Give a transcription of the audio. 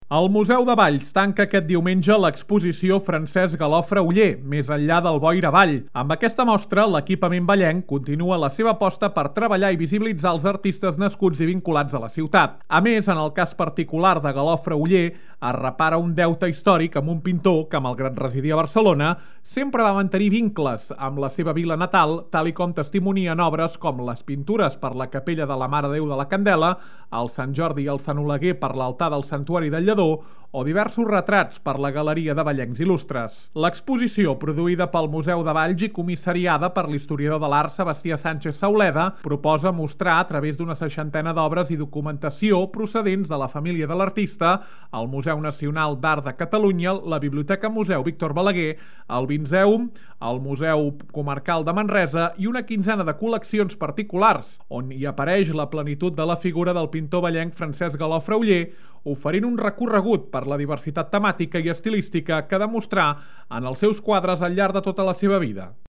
El Museu de Valls tanca aquest diumenge l'exposició Francesc Galofre Oller, més enllà del boira avall. Amb aquesta mostra, l'equipament vallenc continua la seva aposta per treballar i visibilitzar els artistes nascuts i vinculats a la ciutat. A més, en el cas particular de Galofre Oller, es repara un deute històric amb un pintor que, malgrat residir a Barcelona, sempre va mantenir vincles amb la seva vila natal, tal i com testimonien obres com les pintures per la capella de la Mare de Déu de la Candela, el Sant Jordi i el Sant Oleguer per l'altar del Santuari del Lledó, o diversos retrats per la Galeria de Vallencs Il·lustres. L'exposició, produïda pel Museu de Valls i comissariada per l'historiador de l'art Sebastià Sánchez Sauleda, proposa mostrar a través d'una 60ena d'obres i documentació procedents de la família de l'artista, el Museu Nacional d'Art de Catalunya, la Biblioteca Museu Víctor Balaguer, el Vinzeum, el Museu Comarcal de Manresa i una quinzena de col·leccions particulars, on hi apareix la plenitud de la figura del pintor vallenc Francesc Galofre Oller, oferint un recorregut per la diversitat temàtica i estilística que demostrà en els seus quadres al llarg de tota la seva vida.